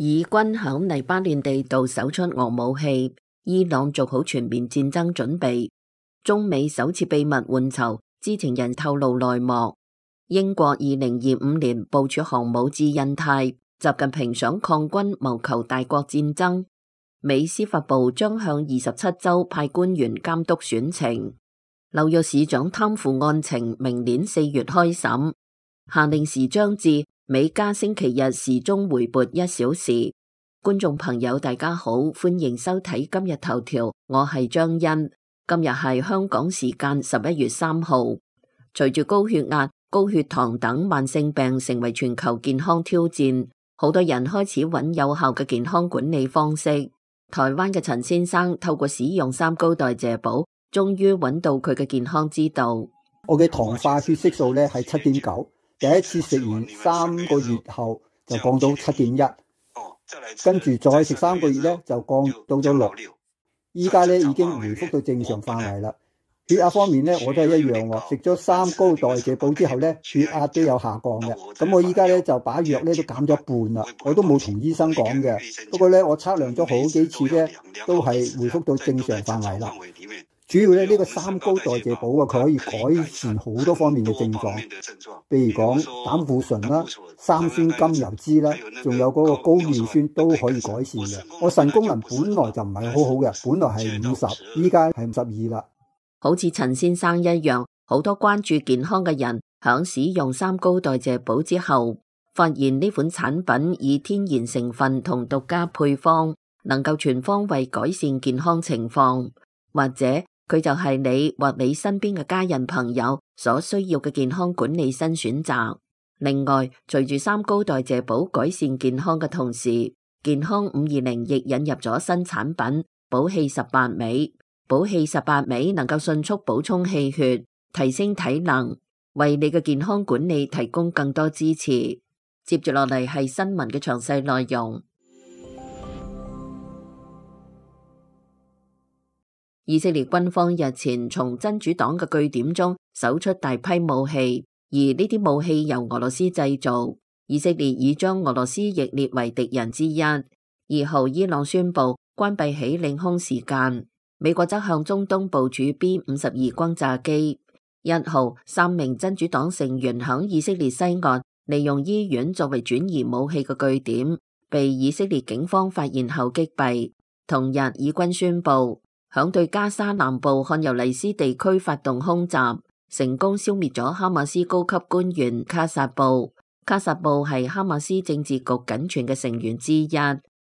以軍響黎巴嫩地道搜出俄武器，伊朗做好全面戰爭準備。中美首次秘密換囚，知情人透露內幕。英國2025年部署航母至印太，習近平想抗軍謀求大國戰爭。美司法部將向27州派官員監督選情。紐約市長貪腐案情明年4月開審。下令時將至，美加星期日時鐘回撥1小時。觀眾朋友大家好，歡迎收睇今日頭條，我係張欣。今日係香港時間11月3號。隨住高血壓、高血糖等慢性病成為全球健康挑戰，好多人開始揾有效嘅健康管理方式。台灣嘅陳先生透過使用三高代謝寶，終於揾到佢嘅健康之道。我嘅糖化血色素咧係7.9，第一次食完3個月後就降到7.1，跟住再食3個月咧就降到咗6，依家咧已經回復到正常範圍啦。血壓方面咧，我都係一樣喎。食咗三高代謝寶之後咧，血壓都有下降嘅。咁我依家咧就把藥咧都減咗一半啦。我都冇同醫生講嘅，不過咧我測量咗好幾次咧，都係回復到正常範圍啦。主要咧呢個三高代謝寶啊，佢可以改善好多方面嘅症狀，譬如講膽固醇啦、三酸甘油酯啦，仲有嗰個高尿酸都可以改善嘅。我腎功能本來就唔係好好嘅，本來係50，依家係52啦。好似陳先生一樣，好多關注健康嘅人響使用三高代謝寶之後，發現呢款產品以天然成分同獨家配方，能夠全方位改善健康情況，或者佢就係你或你身邊嘅家人朋友所需要嘅健康管理新選擇。另外，隨住三高代謝寶改善健康嘅同時，健康520亦引入咗新產品寶氣18味。寶氣18味能夠迅速補充氣血，提升體能，為你嘅健康管理提供更多支持。接住落嚟係新聞嘅詳細內容。以色列軍方日前從真主黨嘅據點中搜出大批武器，而呢啲武器由俄羅斯製造。以色列已將俄羅斯亦列為敵人之一。2號，伊朗宣布關閉起領空時間。美國則向中東部署 B-52轟炸機。1號，3名真主黨成員響以色列西岸利用醫院作為轉移武器嘅據點，被以色列警方發現後擊斃。同日，以軍宣布響對加沙南部漢尤尼斯地區發動空襲，成功消滅咗哈馬斯高級官員卡薩布。卡薩布係哈馬斯政治局僅存嘅成員之一。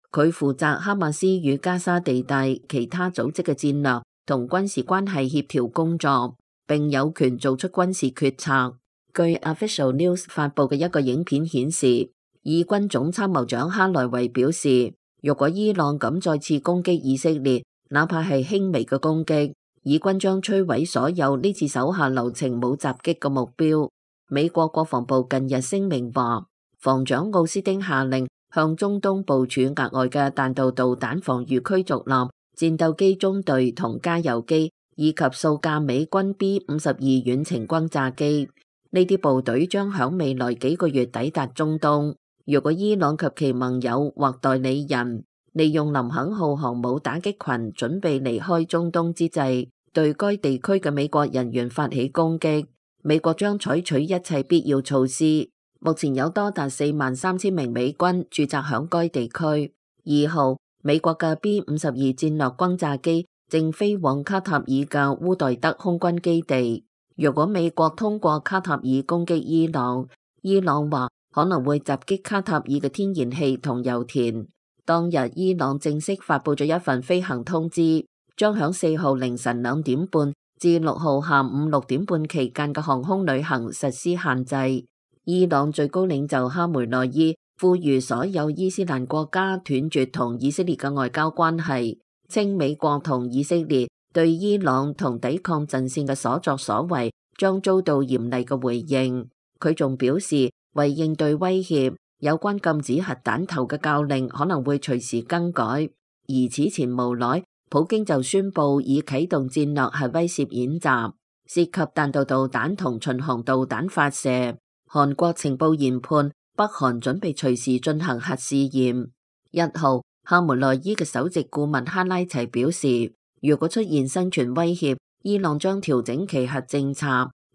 佢負責哈馬斯與加沙地帶其他組織嘅戰略同軍事關係協調工作，並有權做出軍事決策。據 Official News 發佈嘅一個影片顯示，以軍總參謀長哈萊維表示，如果伊朗敢再次攻擊以色列，哪怕係輕微嘅攻擊，以軍將摧毀所有呢次手下留情冇襲擊嘅目標。美國國防部近日聲明話，防長奧斯汀下令向中東部署額外嘅彈道導彈防禦驅逐艦、戰鬥機中隊同加油機，以及數架美軍 B-52遠程轟炸機。呢啲部隊將響未來幾個月抵達中東。如果伊朗及其盟友或代理人利用林肯號航母打擊群準備離開中東之際，對該地區嘅美國人員發起攻擊，美國將採取一切必要措施。目前有多達43000名美軍駐紮響該地區。2號，美國嘅 B-52戰略轟炸機正飛往卡塔爾嘅烏代德空軍基地。如果美國通過卡塔爾攻擊伊朗，伊朗話可能會襲擊卡塔爾嘅天然氣同油田。當日伊朗正式發佈咗一份飛行通知，將響4號凌晨2點半至6號下午6點半期間嘅航空旅行實施限制。伊朗最高領袖哈梅內伊呼籲所有伊斯蘭國家斷絕同以色列嘅外交關係，稱美國同以色列對伊朗同抵抗陣線嘅所作所為將遭到嚴厲嘅回應。佢仲表示，為應對威脅，有關禁止核彈頭嘅教令可能會隨時更改。而此前無耐，普京就宣布已啟動戰略核威懾演習，涉及彈道導彈同巡航導彈發射。韓國情報研判北韓準備隨時進行核試驗。1號，夏梅內伊嘅首席顧問哈拉齊表示，如果出現生存威脅，伊朗將調整其核政策。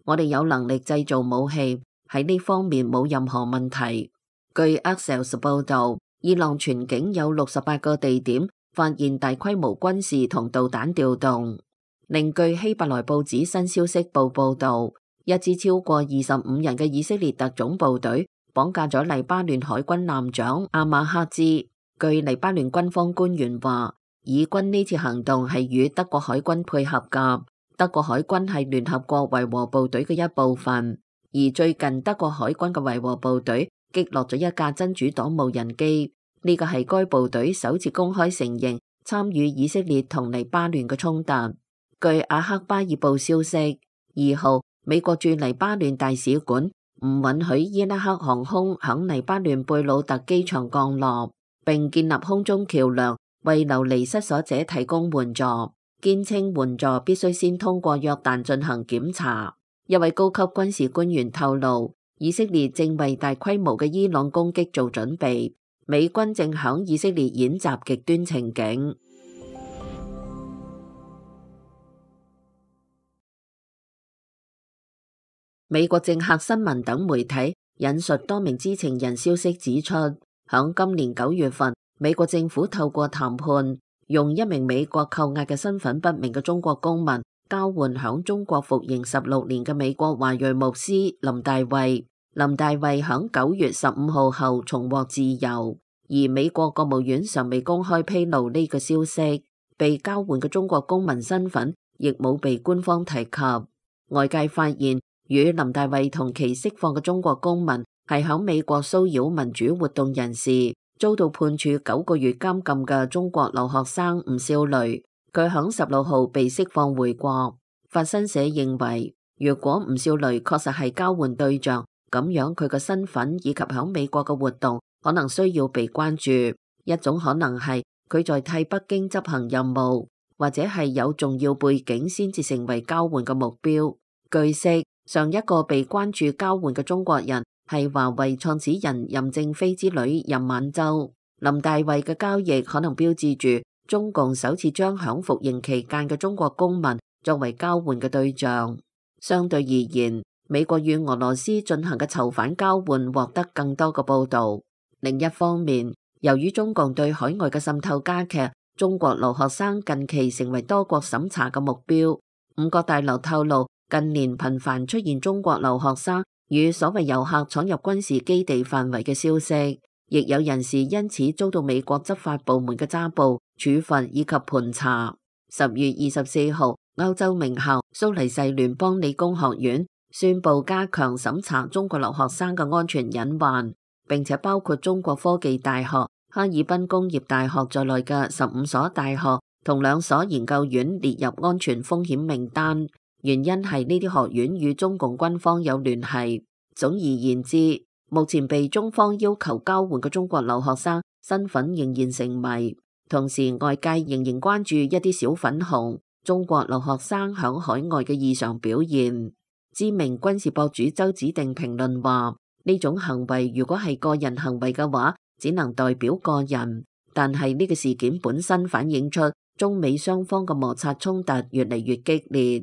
我哋有能力製造武器，喺呢方面冇任何問題。據 Axios 報導，伊朗全境有68個地點發現大規模軍事同導彈調動。另據希伯來報紙新消息報導，一支超過25人嘅以色列特種部隊綁架咗黎巴嫩海軍艦長阿馬克茲。據黎巴嫩軍方官員話，以軍呢次行動係與德國海軍配合㗎。德國海軍係聯合國維和部隊嘅一部分，而最近德國海軍嘅維和部隊擊落咗一架真主黨無人機，呢個係該部隊首次公開承認參與以色列同黎巴嫩嘅衝突。據阿克巴爾報消息，2號，美國駐黎巴嫩大使館唔允許伊拉克航空響黎巴嫩貝魯特機場降落，並建立空中橋樑為流離失所者提供援助。堅稱援助必須先通過約旦進行檢查。一位高級軍事官員透露，以色列正為大規模嘅伊朗攻擊做準備，美軍正響以色列演習極端情景。美國政客新聞等媒體引述多名知情人消息指出，響今年9月份，美國政府透過談判，用一名美國扣押嘅身份不明嘅中國公民交換響中國服刑16年嘅美國華裔牧師林大衛。林大衛響9月15號後重獲自由，而美國國務院尚未公開披露呢個消息。被交換嘅中國公民身份亦冇被官方提及。外界發現，與林大衛同期釋放嘅中國公民係響美國騷擾民主活動人士，遭到判處9個月監禁嘅中國留學生吳少雷，佢響16號被釋放回國。法新社認為，如果吳少雷確實係交換對象，咁樣佢嘅身份以及響美國嘅活動可能需要被關注。一種可能係佢在替北京執行任務，或者係有重要背景先至成為交換嘅目標。據悉，上一個被關注交換嘅中國人係華為創始人任正非之女任晚舟。林大衛嘅交易可能標誌住中共首次將響服刑期間嘅中國公民作為交換嘅對象。相對而言，美國與俄羅斯進行嘅囚犯交換獲得更多嘅報道。另一方面，由於中共對海外嘅滲透加劇，中國留學生近期成為多國審查嘅目標。五角大樓透露，近年頻繁出現中國留學生與所謂遊客闖入軍事基地範圍嘅消息，亦有人士因此遭到美國執法部門嘅抓捕、處罰以及盤查。10月24號，歐洲名校蘇黎世聯邦理工學院宣布加強審查中國留學生嘅安全隱患，並且包括中國科技大學、哈爾濱工業大學在內嘅15所大學同2所研究院列入安全風險名單。原因係呢啲學院與中共軍方有聯繫。總而言之，目前被中方要求交換嘅中國留學生身份仍然成謎。同時，外界仍然關注一啲小粉紅中國留學生響海外嘅異常表現。知名軍事博主周子定評論話：呢種行為如果係個人行為嘅話，只能代表個人。但係呢個事件本身反映出中美雙方嘅摩擦衝突越嚟越激烈。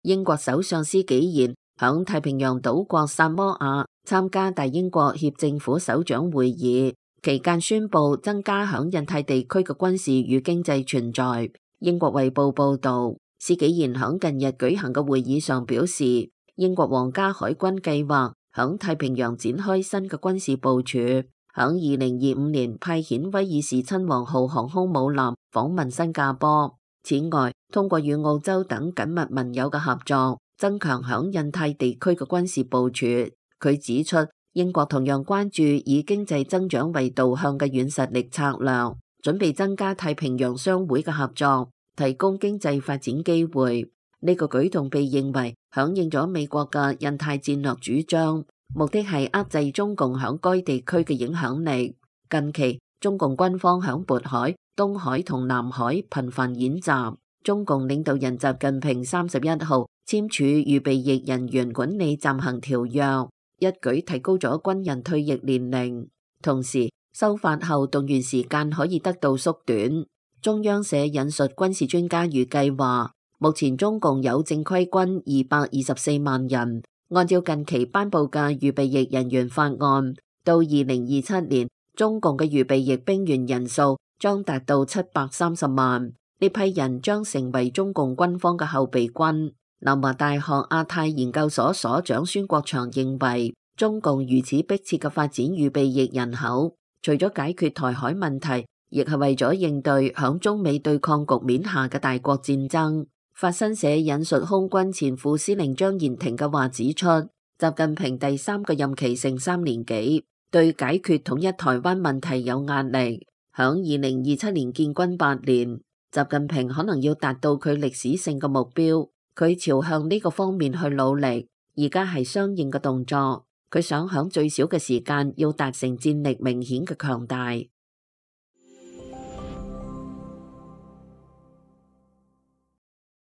英國首相施紀賢響太平洋島國薩摩亞參加大英國協政府首長會議期間宣布增加響印太地區嘅軍事與經濟存在。英國衛報報道，施紀賢響近日舉行嘅會議上表示，英國皇家海軍計劃響太平洋展開新嘅軍事部署，響2025年派遣威爾士親王號航空母艦訪問新加坡。此外，通過與澳洲等緊密盟友嘅合作，增強響印太地區嘅軍事部署。佢指出，英國同樣關注以經濟增長為導向嘅軟實力策略，準備增加太平洋商會嘅合作，提供經濟發展機會。呢個舉動被認為響應咗美國嘅印太戰略主張，目的係遏制中共響該地區嘅影響力。近期，中共軍方響渤海、東海同南海頻繁演習。中共領導人習近平31號簽署預備役人員管理暫行條約，一舉提高咗軍人退役年齡，同時修法後動員時間可以得到縮短。中央社引述軍事專家預計話，目前中共有正規軍224萬人，按照近期頒布嘅預備役人員法案，到2027年，中共嘅預備役兵員人數將達到730萬，呢批人將成為中共軍方嘅後備軍。南華大學亞太研究所所長孫國祥認為，中共如此迫切嘅發展預備役人口，除咗解決台海問題，亦係為咗應對響中美對抗局面下嘅大國戰爭。法新社引述空軍前副司令張延廷嘅話指出，習近平第3個任期剩3年幾，對解決統一台灣問題有壓力。響2027年建軍8年，習近平可能要達到佢歷史性嘅目標，佢朝向呢個方面去努力，而家係相應嘅動作。佢想響最少嘅時間要達成戰力明顯嘅強大。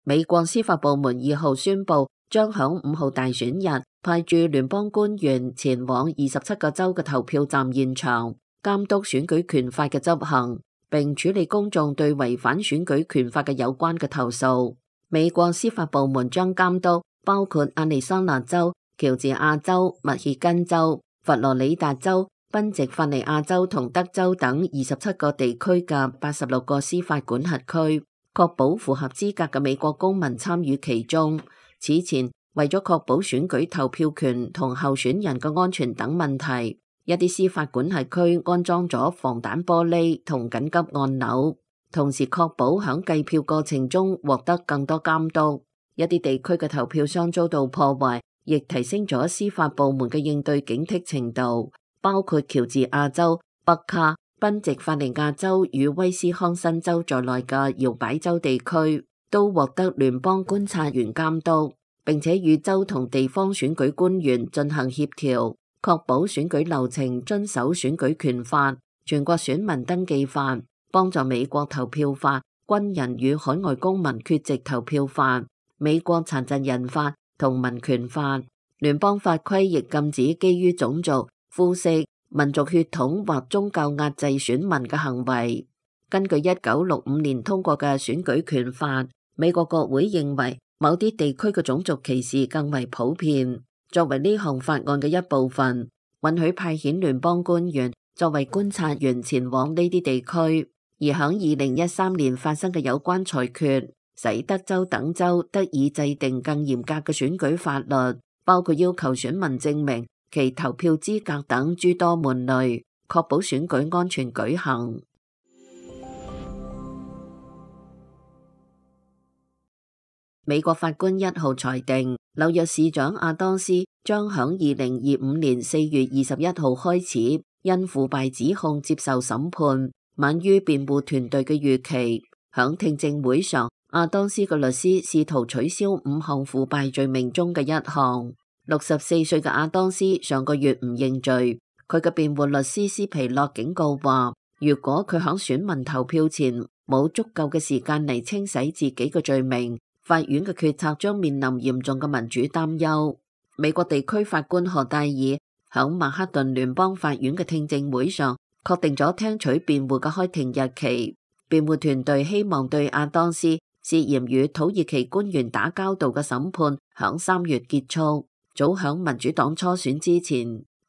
美國司法部門2號宣布，將響5號大選日派駐聯邦官員前往27個州嘅投票站現場，監督選舉權法嘅執行，並處理公眾對違反選舉權法嘅有關嘅投訴。美國司法部門將監督包括亞利桑那州、喬治亞州、密歇根州、佛羅里達州、賓夕法尼亞州同德州等27個地區嘅86個司法管轄區，確保符合資格嘅美國公民參與其中。此前，為咗確保選舉投票權同候選人嘅安全等問題，一啲司法管轄區安裝咗防彈玻璃同緊急按鈕，同時確保響計票過程中獲得更多監督。一啲地區嘅投票箱遭到破壞，亦提升咗司法部門嘅應對警惕程度，包括喬治亞州、北卡、賓夕法尼亞州與威斯康辛州在內嘅搖擺州地區都獲得聯邦觀察員監督，並且與州同地方選舉官員進行協調，確保選舉流程遵守選舉權法、全國選民登記法、幫助美國投票法、軍人與海外公民缺席投票法、美國殘疾人法同民權法。聯邦法規亦禁止基於種族、膚色、民族血統或宗教壓制選民嘅行為。根據1965年通過嘅選舉權法，美國國會認為某啲地區嘅種族歧視更為普遍。作為呢項法案嘅一部分，允許派遣聯邦官員作為觀察員前往呢啲地區。而響2013年發生嘅有關裁決，使德州等州得以制定更嚴格嘅選舉法律，包括要求選民證明其投票資格等諸多門類，確保選舉安全舉行。美國法官1號裁定，紐約市長亞當斯將響2025年4月21號開始因腐敗指控接受審判，晚於辯護團隊嘅預期。響聽證會上，亞當斯嘅律師試圖取消5項腐敗罪名中嘅一項。64歲嘅亞當斯上個月唔認罪，佢嘅辯護律師斯皮洛警告話，如果佢響選民投票前冇足夠嘅時間嚟清洗自己嘅罪名，法院嘅決策將面臨嚴重嘅民主擔憂。美國地區法官何戴爾響曼克頓聯邦法院嘅聽證會上確定咗聽取辯護嘅開庭日期。辯護團隊希望對亞當斯涉嫌與土耳其官員打交道嘅審判響3月結束，早響民主黨初選之前。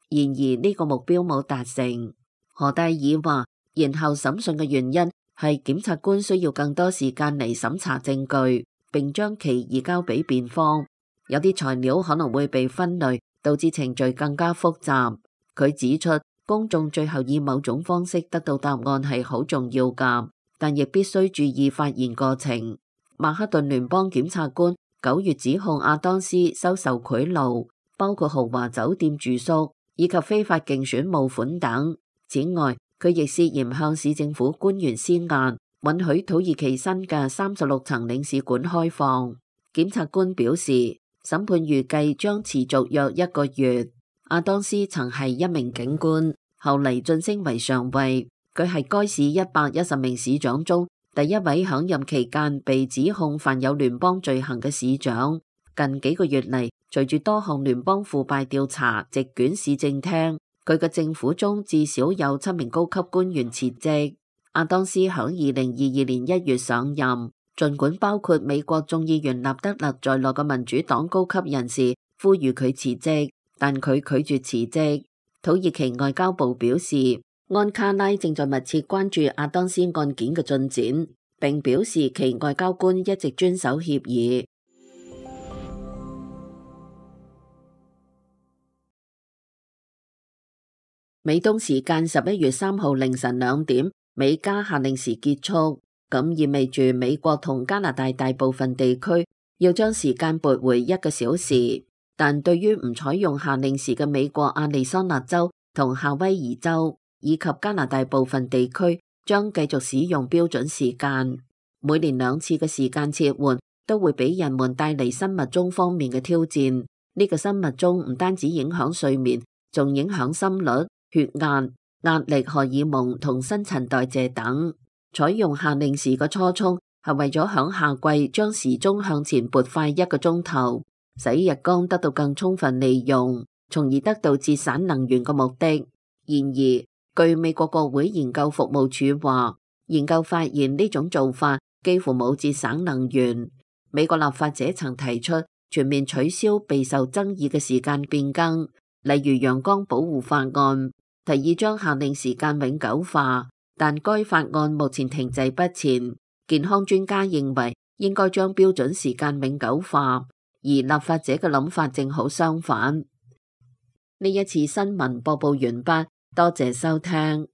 然而呢個目標冇達成。何戴爾話，延後審訊嘅原因係檢察官需要更多時間嚟審查證據，並將其移交俾辯方，有啲材料可能會被分類，導致程序更加複雜。佢指出，公眾最後以某種方式得到答案係好重要㗎，但亦必須注意發言過程。曼克頓聯邦檢察官9月指控亞當斯收受賄賂，包括豪華酒店住宿以及非法競選募款等。此外，佢亦涉嫌向市政府官員施壓，允許土耳其新嘅36層領事館開放。檢察官表示，審判預計將持續約1個月。亞當斯曾係一名警官，後嚟晉升為上尉。佢係該市110名市長中第一位響任期間被指控犯有聯邦罪行嘅市長。近幾個月嚟，隨住多項聯邦腐敗調查席捲市政廳，佢嘅政府中至少有7名高級官員辭職。亞當斯響2022年1月上任，儘管包括美國眾議員納德勒在內嘅民主黨高級人士呼籲佢辭職，但佢拒絕辭職。土耳其外交部表示，安卡拉正在密切關注亞當斯案件嘅進展，並表示其外交官一直遵守協議。美東時間11月3號凌晨2點，美加夏令時結束，咁意味住美國同加拿大大部分地區要將時間撥回1個小時。但對於唔採用夏令時嘅美國亞利桑那州同夏威夷州以及加拿大部分地區，將繼續使用標準時間。每年2次嘅時間切換都會俾人們帶嚟生物鐘方面嘅挑戰。呢個生物鐘唔單止影響睡眠，仲影響心率、血壓、壓力荷爾蒙同新陳代謝等。採用夏令時嘅初衷係為咗響夏季將時鐘向前撥快1個鐘頭，使日光得到更充分利用，從而得到節省能源嘅目的。然而，據美國國會研究服務處話，研究發現呢種做法幾乎冇節省能源。美國立法者曾提出全面取消備受爭議嘅時間變更，例如陽光保護法案，提議將夏令時間永久化，但該法案目前停滯不前。健康專家認為應該將標準時間永久化，而立法者嘅諗法正好相反。呢一次新聞播報完畢，多謝收聽。